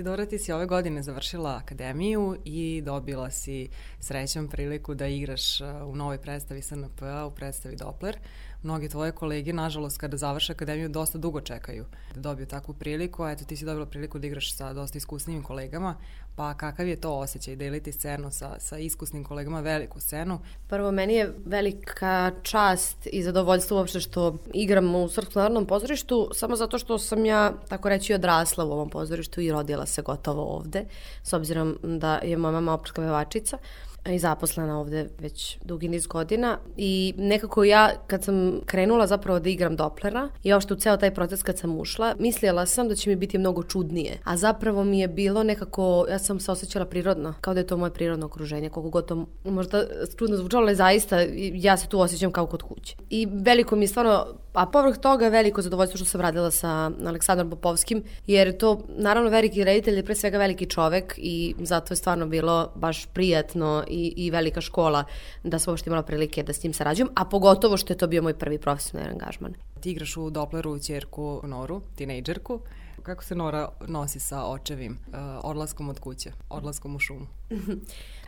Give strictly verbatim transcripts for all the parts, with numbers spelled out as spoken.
Isidora, ti si ove godine završila akademiju i dobila si srećom priliku da igraš u novoj predstavi S N P-a, u predstavi Doppler. Mnogi tvoje kolege, nažalost, kada završe akademiju, dosta dugo čekaju da dobiju takvu priliku, a eto ti si dobila priliku da igraš sa dosta iskusnijim kolegama, pa kakav je to osjećaj deliti scenu sa, sa iskusnim kolegama, veliku scenu? Prvo, meni je velika čast i zadovoljstvo uopšte što igram u Srpskom narodnom pozorištu, samo zato što sam ja, tako reći, odrasla u ovom pozorištu i rodila se gotovo ovde, s obzirom da je moja mama operska pevačica i zaposlena ovde već dugi niz godina i nekako ja kad sam krenula zapravo da igram Dopplera i uopšte u ceo taj proces kad sam ušla, mislila sam da će mi biti mnogo čudnije, a zapravo mi je bilo nekako, ja sam se osjećala prirodno, kao da je to moje prirodno okruženje, koliko god to možda čudno zvučalo, ali zaista ja se tu osjećam kao kod kuće. I veliko mi je stvarno, a povrh toga veliko zadovoljstvo što sam radila sa Aleksandrom Popovskim, jer to naravno veliki reditelj je pre svega veliki čovek i zato je stvarno bilo baš prijatno i, i velika škola da sam uopšte imala prilike da s njim sarađujem, a pogotovo što je to bio moj prvi profesionalni angažman. Ti igraš u Doppleru ćerku Noru, tinejdžerku. Kako se Nora nosi sa očevim uh, odlaskom od kuće, odlaskom u šumu?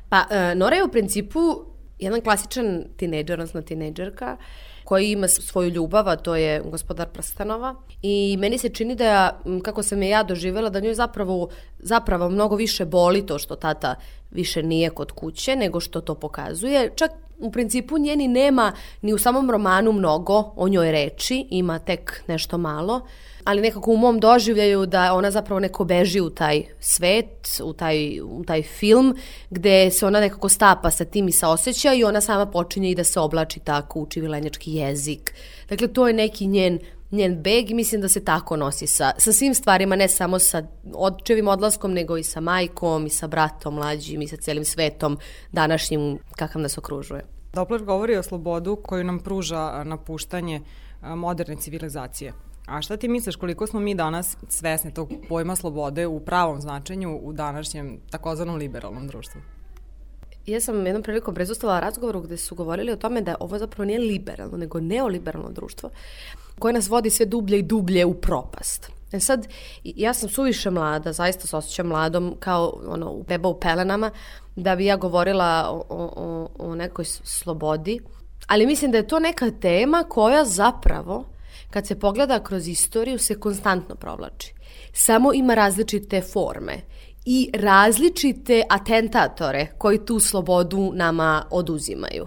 Pa, uh, Nora je u principu jedan klasičan tinejdžer, odnosno tinejdžerka, koji ima svoju ljubav, a to je Gospodar prstenova. I meni se čini da ja, kako sam je ja doživjela, da njoj zapravo, zapravo mnogo više boli to što tata više nije kod kuće, nego što to pokazuje. Čak u principu njeni nema ni u samom romanu mnogo o njoj reči, ima tek nešto malo, ali nekako u mom doživljaju da ona zapravo neko beži u taj svet, u taj, u taj film, gde se ona nekako stapa sa tim i sa osjećaja i ona sama počinje i da se oblači tako, uči vilenjački jezik. Dakle, to je neki njen njen beg i mislim da se tako nosi sa, sa svim stvarima, ne samo sa očevim odlaskom, nego i sa majkom, i sa bratom mlađim, i sa celim svetom današnjim kakav nas okružuje. Doppler govori o slobodu koju nam pruža napuštanje moderne civilizacije. A šta ti misliš koliko smo mi danas svesni tog pojma slobode u pravom značenju u današnjem takozvanom liberalnom društvu? Ja sam jednom prilikom prisustvovala razgovoru gde su govorili o tome da ovo zapravo nije liberalno, nego neoliberalno društvo koje nas vodi sve dublje i dublje u propast. E sad, ja sam suviše mlada, zaista se osjećam mladom kao ono, beba u pelenama, da bi ja govorila o, o, o nekoj slobodi, ali mislim da je to neka tema koja zapravo, kad se pogleda kroz istoriju, se konstantno provlači. Samo ima različite forme i različite atentatore koji tu slobodu nama oduzimaju.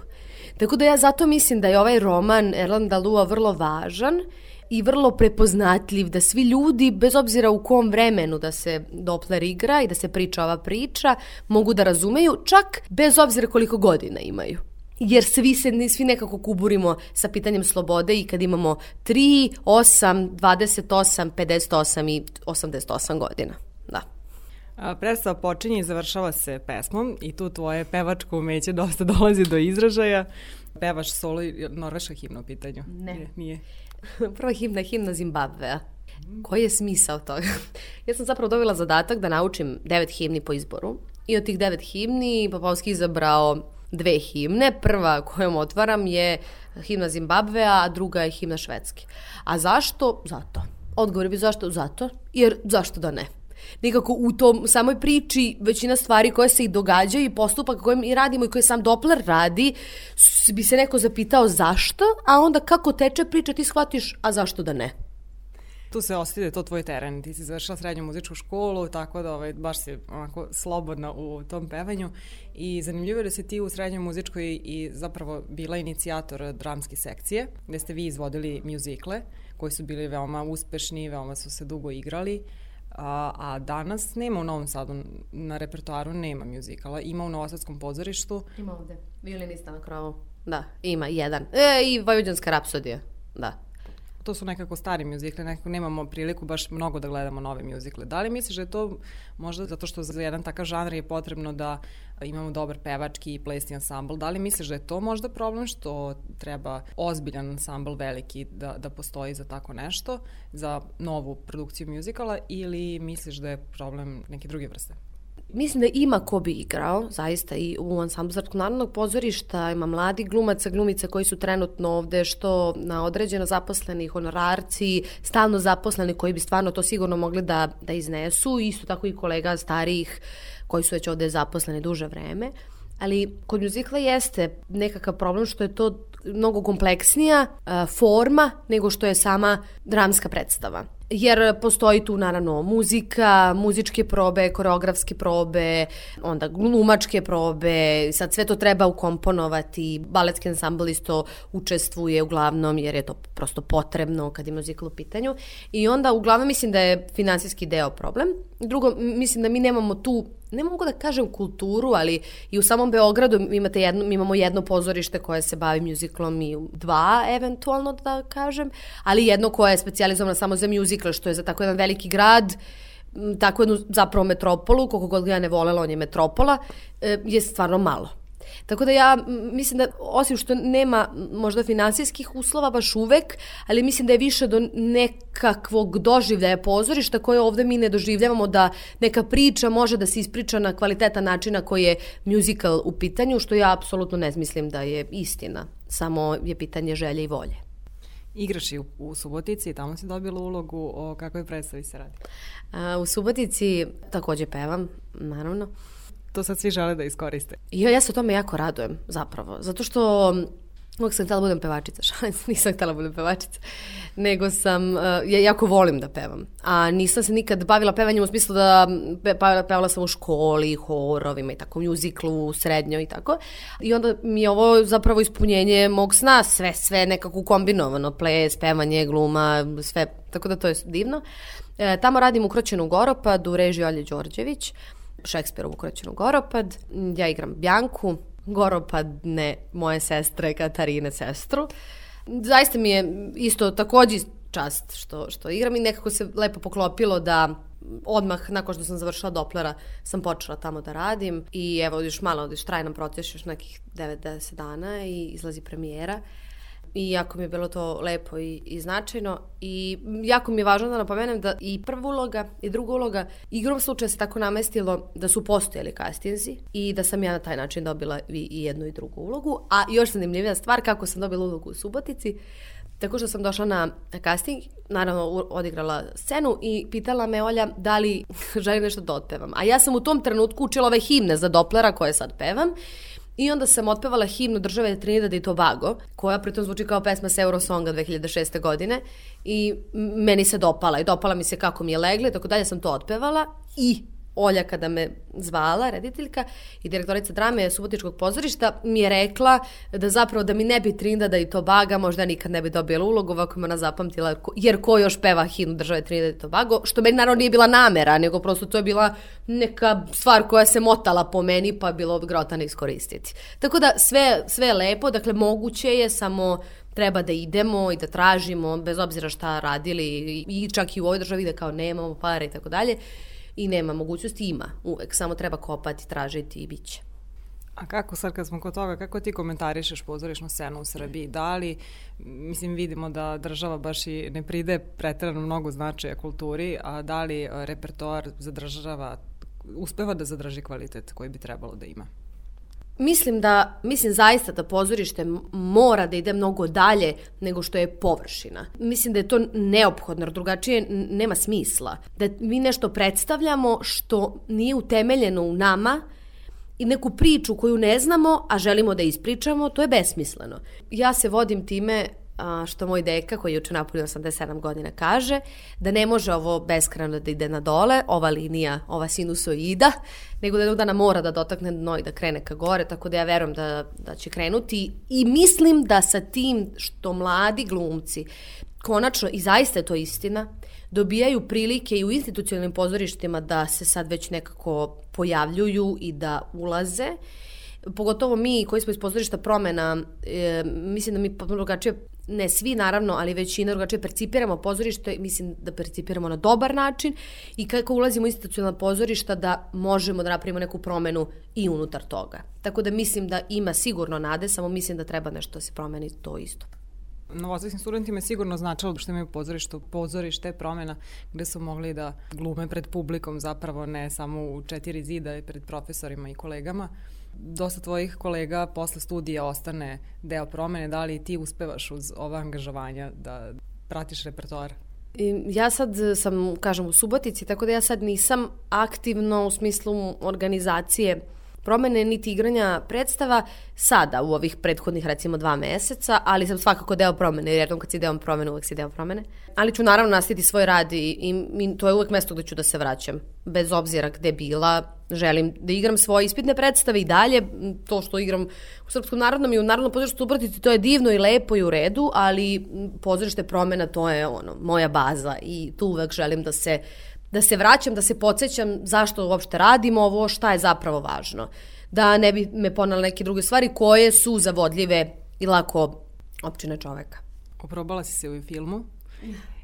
Tako da ja zato mislim da je ovaj roman Erlanda Lua vrlo važan i vrlo prepoznatljiv, da svi ljudi, bez obzira u kom vremenu da se Doppler igra i da se priča ova priča, mogu da razumeju, čak bez obzira koliko godina imaju. Jer svi se svi nekako kuburimo sa pitanjem slobode i kad imamo tri, osam, dvadeset osam, pedeset osam i osamdeset osam godina. Da. Predstava počinje i završava se pesmom i tu tvoje pevačko umeće dosta dolazi do izražaja. Pevaš solo i norveška himna u pitanju? Ne. Nije. Prva himna je himna Zimbabvea. Koji je smisao toga? Ja sam zapravo dobila zadatak da naučim devet himni po izboru i od tih devet himni Popovski izabrao dve himne. Prva kojom otvaram je himna Zimbabvea, a druga je himna Švedske. A zašto? Zato. Odgovor bi zašto? Zato. Jer zašto da ne? Nekako u tom samoj priči većina stvari koje se i događaju i postupak koje mi radimo i koje sam Doppler radi, bi se neko zapitao zašto, a onda kako teče priča ti shvatiš, a zašto da ne? Tu se osjeti da je to tvoj teren. Ti si završila srednju muzičku školu, tako da ovaj, baš si onako slobodna u tom pevanju i zanimljivo je da si ti u srednjoj muzičkoj i zapravo bila inicijator dramske sekcije, gde ste vi izvodili mjuzikle koji su bili veoma uspešni, veoma su se dugo igrali. A, a danas nema u Novom Sadu, na repertoaru nema mjuzikala, ima u Novosadskom pozorištu. Ima ovde, violinista na krovu. Da, ima jedan. E, i Vojvođanska rapsodija, da. To su nekako stari mjuzikle, nekako nemamo priliku baš mnogo da gledamo nove mjuzikle. Da li misliš da je to možda zato što za jedan takav žanr je potrebno da imamo dobar pevački i plesni ansambl? Da li misliš da je to možda problem što treba ozbiljan ansambl veliki da, da postoji za tako nešto, za novu produkciju mjuzikala, ili misliš da je problem neke druge vrste? mislim da ima ko bi igrao, zaista, i u ansamblu Srpskog narodnog pozorišta ima mladi glumaca, glumica koji su trenutno ovde, što na određeno zaposleni honorarci, stalno zaposleni koji bi stvarno to sigurno mogli da, da iznesu, isto tako i kolega starijih koji su već ovde zaposleni duže vreme. Ali kod muzikla jeste nekakav problem što je to mnogo kompleksnija uh, forma nego što je sama dramska predstava. Jer postoji tu naravno muzika, muzičke probe, koreografske probe, onda glumačke probe, sad sve to treba ukomponovati, baletski ansambl isto učestvuje uglavnom jer je to prosto potrebno kad je muzikal u pitanju i onda uglavnom mislim da je finansijski deo problem. Drugo, mislim da mi nemamo tu, ne mogu da kažem kulturu, ali i u samom Beogradu imate jedno, mi imamo jedno pozorište koje se bavi muziklom i dva eventualno da kažem, ali jedno koje je specijalizovano samo za muzikl, što je za tako jedan veliki grad, tako jednu zapravo metropolu, koliko god ga ja ne volela, on je metropola, je stvarno malo. Tako da ja mislim da, osim što nema možda finansijskih uslova baš uvek, ali mislim da je više do nekakvog doživljaja pozorišta koje ovde mi ne doživljavamo, da neka priča može da se ispriča na kvalitetan način na koji je musical u pitanju, što ja apsolutno ne mislim da je istina, samo je pitanje želje i volje. Igraš i u, u Subotici i tamo si dobila ulogu, o kakvoj predstavi se radi? A, u Subotici takođe pevam, naravno. To sad svi žele da iskoriste. Ja, ja se o tome jako radujem, zapravo. Zato što uvijek sam htjela budem pevačica, šalim, nisam htjela budem pevačica, nego sam, uh, ja jako volim da pevam. A nisam se nikad bavila pevanjem u smislu da pe, pevala sam u školi, horovima i tako, muziklu, srednjoj i tako. I onda mi je ovo zapravo ispunjenje mog sna, sve, sve nekako kombinovano, ples, pevanje, gluma, sve, tako da to je divno. E, tamo radim Ukroćenu Goropad u režiji Olje Đorđević, Šekspirovu Ukroćenu Goropad. Ja igram Bjanku, Goropadne moje sestre, Katarine sestru. Zaista mi je isto takođe čast što, što igram i nekako se lepo poklopilo da odmah nakon što sam završila Doplera sam počela tamo da radim i evo još malo, još traje nam proces, još nekih devet do deset dana i izlazi premijera. I jako mi je bilo to lepo i, i značajno i jako mi je važno da napomenem da i prva uloga i druga uloga igrom slučaja se tako namestilo da su postojali castinzi i da sam ja na taj način dobila i, i jednu i drugu ulogu. A još zanimljivija stvar kako sam dobila ulogu u Subotici, tako što sam došla na casting, naravno odigrala scenu i pitala me Olja da li želim nešto da otpevam. A ja sam u tom trenutku učila ove himne za Doplera koje sad pevam. I onda sam otpevala himnu države Trinidad i Tobago, koja pritom zvuči kao pesma s Eurosonga dve hiljade šeste. godine i meni se dopala i dopala mi se kako mi je legla i tako dalje sam to otpevala i Olja kada me zvala, rediteljka i direktorica drame Subotičkog pozorišta mi je rekla da zapravo da mi ne bi Trinidada i Tobaga možda nikad ne bi dobila ulogu, ovako me ona zapamtila, jer ko još peva himnu države Trinidad i Tobago, što meni naravno nije bila namera, nego prosto to je bila neka stvar koja se motala po meni pa je bilo grotano iskoristiti. Tako da sve, sve je lepo, dakle moguće je, samo treba da idemo i da tražimo, bez obzira šta radili i čak i u ovoj državi da kao nemamo pare i tako dalje. I nema mogućnosti, ima uvek, samo treba kopati, tražiti i bit će. A kako sad kad smo kod toga, kako ti komentarišeš pozorišnu scenu u Srbiji? Da li, mislim vidimo da država baš i ne pride preterano mnogo značaja kulturi, a da li repertoar zadržava, uspeva da zadrži kvalitet koji bi trebalo da ima? Mislim da, mislim zaista da pozorište mora da ide mnogo dalje nego što je površina. Mislim da je to neophodno, drugačije nema smisla. Da mi nešto predstavljamo što nije utemeljeno u nama i neku priču koju ne znamo, a želimo da ispričamo, to je besmisleno. Ja se vodim time a, što moj deka, koji je juče napunio osamdeset sedam godina, kaže da ne može ovo beskrajno da ide na dole, ova linija, ova sinusoida, nego da jednog dana mora da dotakne dno i da krene ka gore, tako da ja verujem da, da će krenuti i mislim da sa tim što mladi glumci, konačno, i zaista je to istina, dobijaju prilike i u institucionalnim pozorištima da se sad već nekako pojavljuju i da ulaze. Pogotovo mi koji smo iz pozorišta Promena, e, mislim da mi drugačije, ne svi naravno, ali većina drugačije percipiramo pozorište, mislim da percipiramo na dobar način i kako ulazimo u institucionalna pozorišta da možemo da napravimo neku promenu i unutar toga. Tako da mislim da ima sigurno nade, samo mislim da treba nešto da se promeni to isto. novosadskim studentima je sigurno značilo što imaju pozorište, pozorište promjena gde su mogli da glume pred publikom, zapravo ne samo u četiri zida i pred profesorima i kolegama. Dosta tvojih kolega posle studija ostane deo promene, da li ti uspevaš uz ova angažovanja da pratiš repertoar? Ja sad sam, kažem, u Subotici, tako da ja sad nisam aktivno u smislu organizacije promene niti igranja predstava sada u ovih prethodnih recimo dva meseca, ali sam svakako deo promene, jer jednom kad si deo promene, uvek si deo promene. Ali ću naravno nastaviti svoj rad i, i, i to je uvek mesto gde ću da se vraćam. Bez obzira gde bila, želim da igram svoje ispitne predstave i dalje. To što igram u Srpskom narodnom i u Narodnom pozorištu Subotici, to je divno i lepo i u redu, ali pozorište promena, to je ono, moja baza i tu uvek želim da se da se vraćam, da se podsjećam zašto uopšte radimo ovo, šta je zapravo važno. Da ne bi me ponale neke druge stvari koje su zavodljive i lako opčine čoveka. Oprobala si se u filmu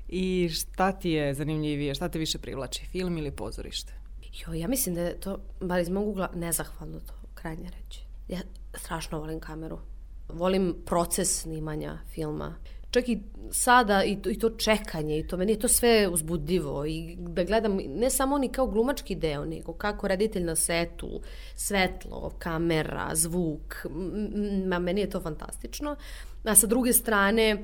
i šta ti je zanimljivije, šta te više privlači, film ili pozorište? Jo, ja mislim da je to, bar iz mog ugla, nezahvalno to krajnje reći. Ja strašno volim kameru. Volim proces snimanja filma. Čak i sada i to, i to čekanje i to meni je to sve uzbudljivo i da gledam ne samo ni kao glumački deo, nego kako reditelj na setu, svetlo, kamera, zvuk, ma meni je to fantastično. A sa druge strane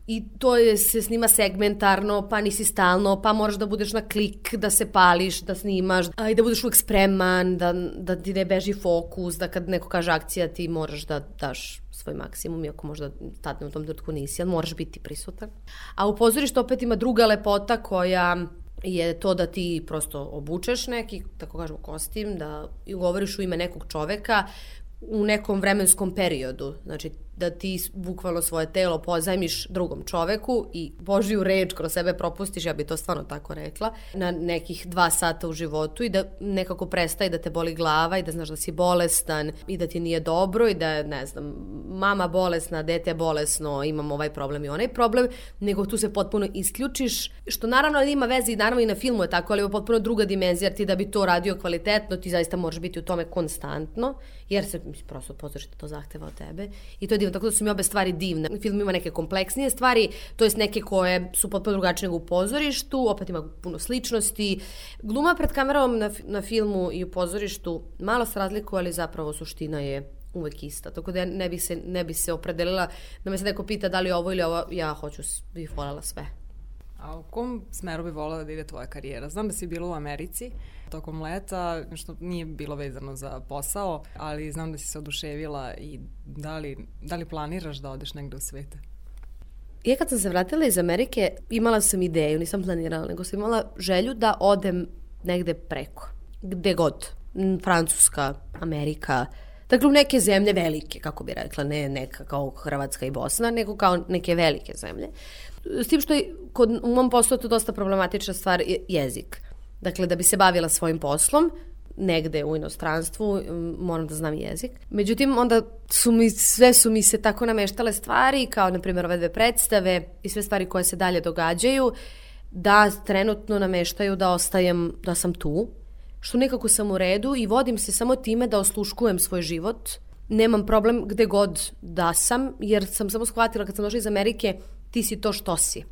i to je, se snima segmentarno, pa nisi stalno, pa moraš da budeš na klik, da se pališ, da snimaš, a i da budeš uvek spreman, da, da ti ne beži fokus, da kad neko kaže akcija ti moraš da daš svoj maksimum, iako možda tad u tom trenutku nisi, ali moraš biti prisutan. A u pozorištu opet ima druga lepota koja je to da ti prosto obučeš neki, tako kažemo, kostim, da govoriš u ime nekog čoveka u nekom vremenskom periodu. Znači, da ti bukvalno svoje telo pozajmiš drugom čoveku i Božiju reč kroz sebe propustiš, ja bi to stvarno tako rekla, na nekih dva sata u životu i da nekako prestaje da te boli glava i da znaš da si bolestan i da ti nije dobro i da, ne znam, mama bolesna, dete bolesno, imam ovaj problem i onaj problem, nego tu se potpuno isključiš, što naravno ima veze i naravno i na filmu je tako, ali je potpuno druga dimenzija, jer ti da bi to radio kvalitetno, ti zaista moraš biti u tome konstantno, jer se prosto pozorište to zahteva od tebe i to je divno, tako da su mi obe stvari divne. Film ima neke kompleksnije stvari, to jest neke koje su potpuno drugačije nego u pozorištu, opet ima puno sličnosti. Gluma pred kamerom na, na filmu i u pozorištu malo se razlikuje, ali zapravo suština je uvek ista. Tako da ja ne bi se, ne bi se opredelila da me se neko pita da li ovo ili ovo, ja hoću, bih voljela sve. A u kom smeru bi voljela da ide tvoja karijera? Znam da si bila u Americi tokom leta, što nije bilo vezano za posao, ali znam da si se oduševila i da li, da li planiraš da odeš negde u svete? Ja kad sam se vratila iz Amerike, imala sam ideju, nisam planirala, nego sam imala želju da odem negde preko. Gde god. Francuska, Amerika, dakle u neke zemlje velike, kako bi rekla, ne neka kao Hrvatska i Bosna, nego kao neke velike zemlje. S tim što je kod, u mom poslu to dosta problematična stvar je jezik. Dakle, da bi se bavila svojim poslom, negde u inostranstvu, moram da znam jezik. Međutim, onda su mi, sve su mi se tako nameštale stvari, kao na primjer ove dve predstave i sve stvari koje se dalje događaju, da trenutno nameštaju da ostajem, da sam tu, što nekako sam u redu i vodim se samo time da osluškujem svoj život. Nemam problem gde god da sam, jer sam samo shvatila kad sam došla iz Amerike, ti si to što si.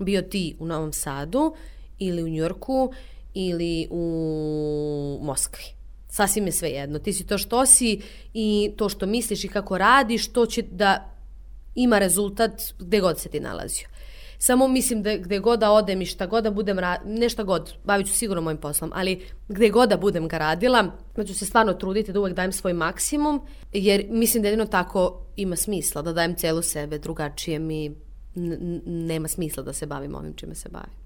Bio ti u Novom Sadu ili u Njujorku ili u Moskvi. Sasvim je sve jedno. Ti si to što si i to što misliš i kako radiš, to će da ima rezultat gde god se ti nalazio. Samo mislim da gde god da odem i šta god da budem radila, ne šta god, bavit ću sigurno mojim poslom, ali gde god da budem ga radila, da ću se stvarno truditi da uvek dajem svoj maksimum, jer mislim da jedino tako ima smisla, da dajem celu sebe, drugačije mi n- n- nema smisla da se bavim ovim čime se bavim.